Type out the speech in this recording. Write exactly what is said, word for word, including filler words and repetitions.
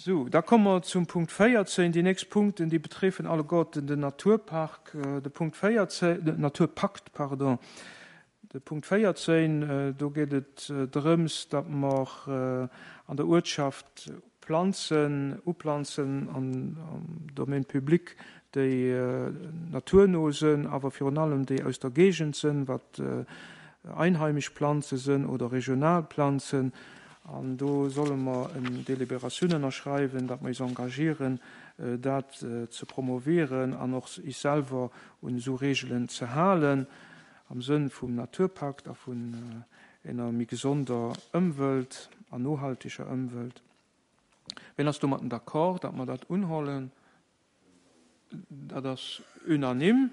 Sou, da komme mer zum Punkt véierzéng. Déi nächst Punkten, déi betreffen alleguerten den Naturpark, de Punkt véierzéng, den Naturpakt, pardon. De Punkt véierzéng, do geet et drëms, datt mer an der Uertschaft Planzen uplanzen am Domaine public, déi naturno sënn, awer virun allem déi aus der Géigend sënn, wat einheimisch Planze sënn oder regional Planzen. An do solle mer eng Deliberatioun ënnerschreiwen, datt mer is engagieren, dat ze promovieren an och is selwer un esou Regelen ze halen, am Sënn vum Naturpakt a vun enger méi gesonder Ëmwelt an nohalteger Ëmwelt. Wien ass domatten d'accord, datt mer dat unhollen? Dat ass unanime.